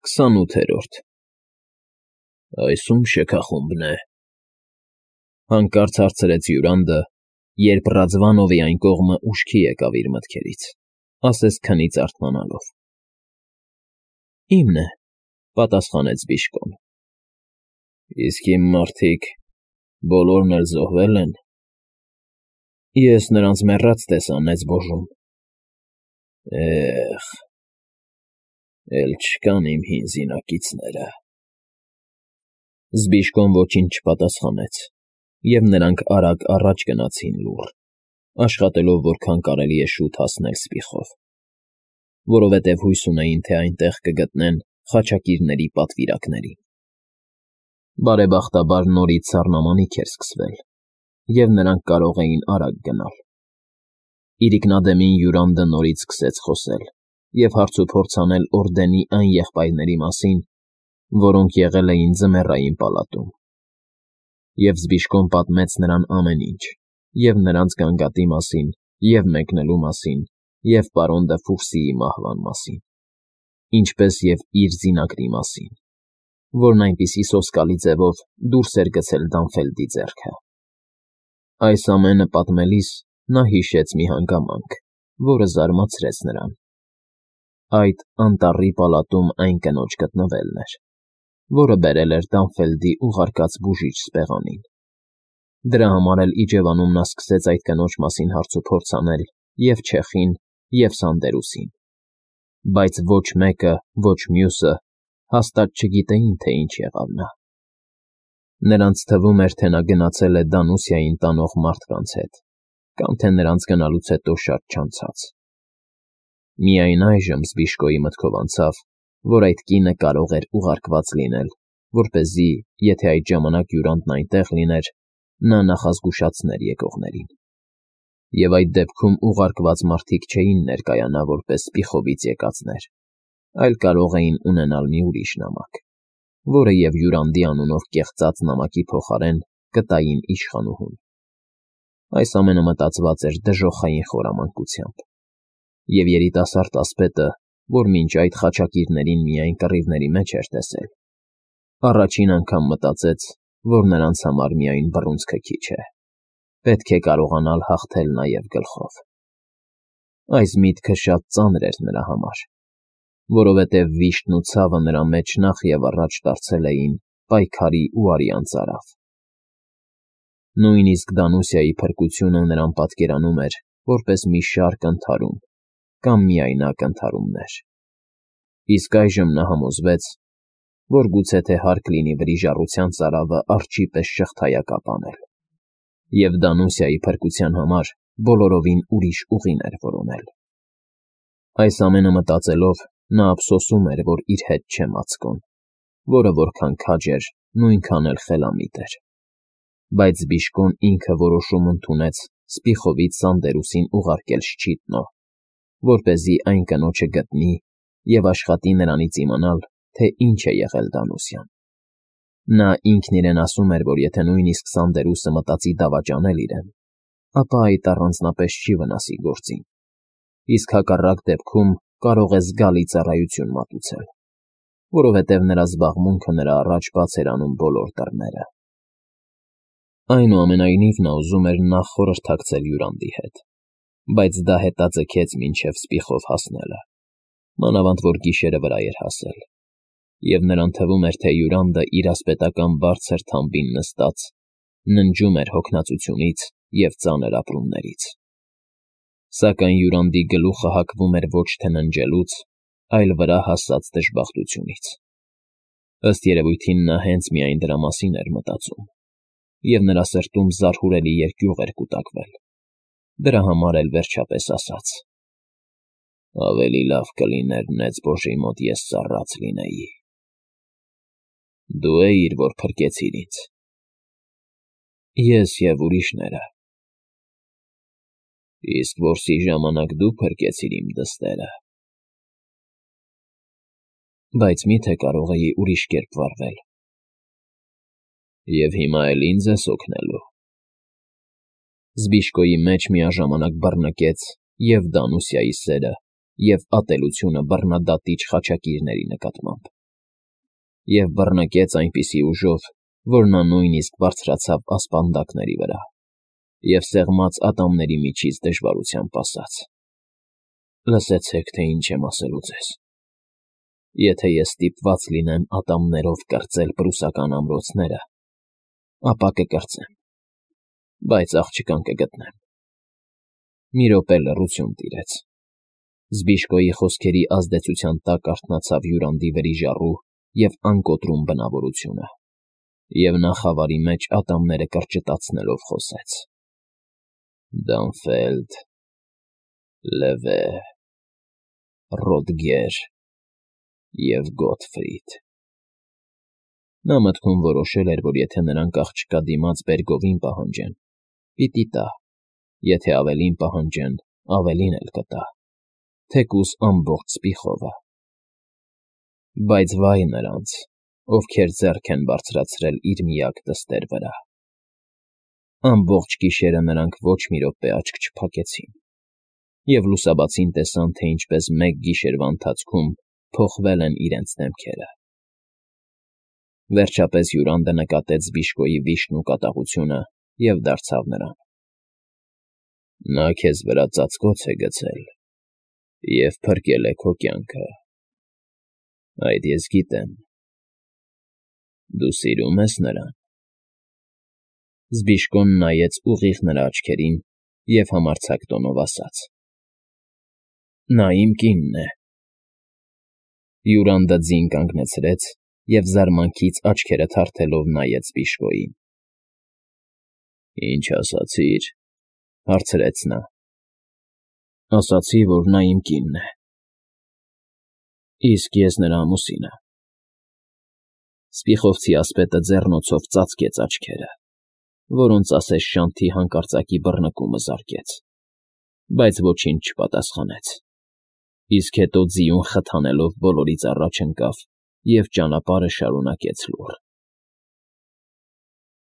28-րդ Այս ում շքախումբն է, հանկարծ հարցրեց Յուրանդը, երբ Ռաձվանովի այն կողմը ուշքի եկավ իր մտքերից, ասես քնից արթնանալով։ Իմն է, պատասխանեց Բիժկոն։ Իսկ իմ մարդիկ բոլորն էլ զոհվել են։ Ես նրանց մեռած տեսա Նեծ Բոժում։ Էլ չկան իմ հին զինակիցները։ Զբիժկոն ոչինչ չպատասխանեց, և նրանք արագ առաջ գնացին լուռ, աշխատելով որքան կարելի է շուտ հասնել Սպիխով, որովհետև հույս ունեին, թե այնտեղ կգտնեն խաչակիրների պատվիրակներին։ Բարեբախտաբար նորից սառնամանիք էր սկսվել, և նրանք կարող էին արագ գնալ։ Իրիկնադեմին Յուրանդը նորից սկսեց խոսել և հարցուփորձ անել Օրդենի այն եղբայրների մասին, որոնք եղել էին Ձմեռային պալատում, և Զբիժկոն պատմեց նրան ամեն ինչ, և նրանց գանգատի մասին, և մեկնելու մասին, և պարոն Դը Ֆուկսիի մահվան մասին, ինչպես և իր զինակրի մասին, որն այնպիսի սոսկալի ձևով դուրս էր գցել Դանֆելդի ձեռքը։ Այս ամենը պատմելիս նա հիշեց մի հանգամանք, որը զարմացրեց նրան. այդ անտառի պալատում այն կնոջ գտնվելն էր, որը բերել էր Դանֆելդի ուղարկած բուժիչ սպեղանին։ Դրա համար էլ իջևանում նա սկսեց այդ կնոջ մասին հարցուփորձ անել և Չեխին, և Սանդերուսին, բայց ոչ մեկը, ոչ մյուսը հաստատ չգիտեին, թե ինչ եղավ նա։ Նրանց թվում էր, թե նա գնացել է Դանուսիային տանող մարդկանց հետ, կամ թե նրանց գնալուց հետո շատ չանցած։ Միայն այժմ Զբիժկոյի մտքով անցավ, որ այդ կինը կարող էր ուղարկված լինել, որպեսզի, եթե այդ ժամանակ Յուրանդն այնտեղ լիներ, նա նախազգուշացներ եկողներին։ Եվ այդ դեպքում ուղարկված մարդիկ չէին ներկայանա որպես Սպիխովից եկածներ, այլ կարող էին ունենալ մի ուրիշ նամակ, որը և Յուրանդի անունով կեղծած նամակի փոխարեն կտային իշխանուհուն։ Այս ամենը մտածված էր դժոխային խորամանկությամբ, և երիտասարդ ասպետը, որ մինչ այդ խաչակիրներին միայն կռիվների մեջ էր տեսել, առաջին անգամ մտածեց, որ նրանց համար միայն բռունցքը քիչ է, պետք է կարողանալ հաղթել նաև գլխով։ Այս միտքը շատ ծանր էր նրա համար, որովհետև վիշտն ու ցավը նրա մեջ նախ և առաջ դարձել էին պայքարի ու արյան ծարավ։ Նույնիսկ Դանուսիայի փրկությունը նրան պատկերանում էր որպես մի շարք ընդհարում կամ միայնակ ընդհարումներ։ Իսկ այժմ նա համոզվեց, որ գուցե թե հարկ լինի վրիժառության ծարավը արջի պես շղթայակապ անել, և Դանուսիայի փրկության համար բոլորովին ուրիշ ուղին էր որոնել։ Այս ամենը մտածելով, նա ափսոսում էր, որ իր հետ չէ Մացկոն, որը որքան քաջ էր, նույնքան էլ խելամիտ էր։ Բայց Զբիժկոն ինքը որոշում ընդունեց Սպիխովից Սանդերուսին ուղարկել Շչիտնո, որպեսզի այն կնոջը գտնի և աշխատի նրանից իմանալ, թե ինչ է եղել Դանուսիան։ Նա ինքն իրեն ասում էր, որ եթե նույնիսկ Սանդերուսը մտածի դավաճանել իրեն, ապա այդ առանձնապես չի վնասի գործին, իսկ հակառակ դեպքում կարող է զգալի ծառայություն մատուցել, որովհետև նրա զբաղմունքը նրա առաջ բաց էր անում բոլոր դռները։ Այնուամենայնիվ նա ուզում էր նախ խորհրդակցել Յուրանդի հետ, բայց դա հետաձգեց մինչև Սպիխով հասնելը, մանավանդ որ գիշերը վրա էր հասել, և նրան թվում էր, թե Յուրանդը իր ասպետական բարձր թամբին նստած ննջում էր հոգնածությունից և ծանր ապրումներից։ Սակայն Յուրանդի գլուխը հակվում էր ոչ թե ննջելուց, այլ վրա հասած դժբախտությունից։ Ըստ երևույթին նա հենց միայն դրա մասին էր մտածում, և նրա սրտում զարհուրելի երկյուղ էր կուտակվել։ Դրա համար էլ վերջապես ասաց. ավելի լավ կլիներ Նեծ Բոժի մոտ ես ծառաց լինեի։ Դու էիր, որ փրկեցիր ինձ։ Ես և ուրիշները։ Իսկ որսի ժամանակ դու փրկեցիր իմ դստերը։ Բայց մի՞թե կարող էի ուրիշ կերպ վարվել։ Եվ հիմա էլ ինձ ես օգնելու։ Զբիժկոյի մեջ միաժամանակ բռնկեց և Դանուսիայի սերը, և ատելությունը բռնադատիչ խաչակիրների նկատմամբ։ և բռնկեց այնպիսի ուժով, որ նա նույնիսկ բարձրացավ ասպանդակների վրա և սեղմած ատամների միջից դժվարությամբ ասաց. «Լսեցեք, թե ինչ եմ ասելու ձեզ. եթե ես ստիպված լինեմ ատամներով կրծել պրուսական ամրոցները, ապա կկրծեմ, բայց աղջկան կգտնեմ»։ Մի րոպե լռություն տիրեց։ Զբիշկոյի խոսքերի ազդեցության տակ արթնացավ Յուրանդի վրիժառու և անկոտրում բնավորությունը, և նա խավարի մեջ ատամները կրճտացնելով խոսեց. «Դանֆելդ, Լևե, Ռոդգեր և Գոթֆրիդ»։ Նա մտքում որոշել էր, որ եթե նրանք աղջկա դիմաց բերգովին պահանջեն, պիտի տա, եթե ավելին պահանջեն, ավելին էլ կտա, թեկուզ ամբողջ սպիխովը։ Բայց վայ նրանց, ովքեր ձեռք են բարձրացրել իր միակ դստեր վրա։ Ամբողջ գիշերը նրանք ոչ մի րոպե աչք չփակեցին և լուսաբացին տեսան, թե ինչպես մեկ գիշերվա ընթացքում փոխվել են իրենց դեմքերը։ Վերջապես Յուրանդը նկատեց Զբիշկոյի վիշտն ու կատաղությունը և դարձավ նրան. «Նա քեզ վրա ծածկոց է գցել և փրկել է քո կյանքը, այդ ես գիտեմ։ Դու սիրում ես նրան»։ Զբիշկոն նայեց ուղիղ նրա աչքերին և համարձակ տոնով ասաց. «Նա իմ կինն է»։ Յուրանդը ձին կանգնեցրեց և զարմանքից աչքերը թարթելով նայեց Զբիշկոյին։ «Ինչ ասացիր»։ Հարցրեց նա։ «Ասացի, որ նա իմ կինն է, իսկ ես նրա ամուսինը»։ Սպիխովցի ասպետը ձեռնոցով ծածկեց աչքերը, որոնց ասես շանթի հանկարծակի բռնկումը զարկեց, բայց ոչինչ չպատասխանեց, իսկ հետո ձիուն խթանելով բոլորից առաջ ընկավ և ճանապարհը շարունակեց լուռ։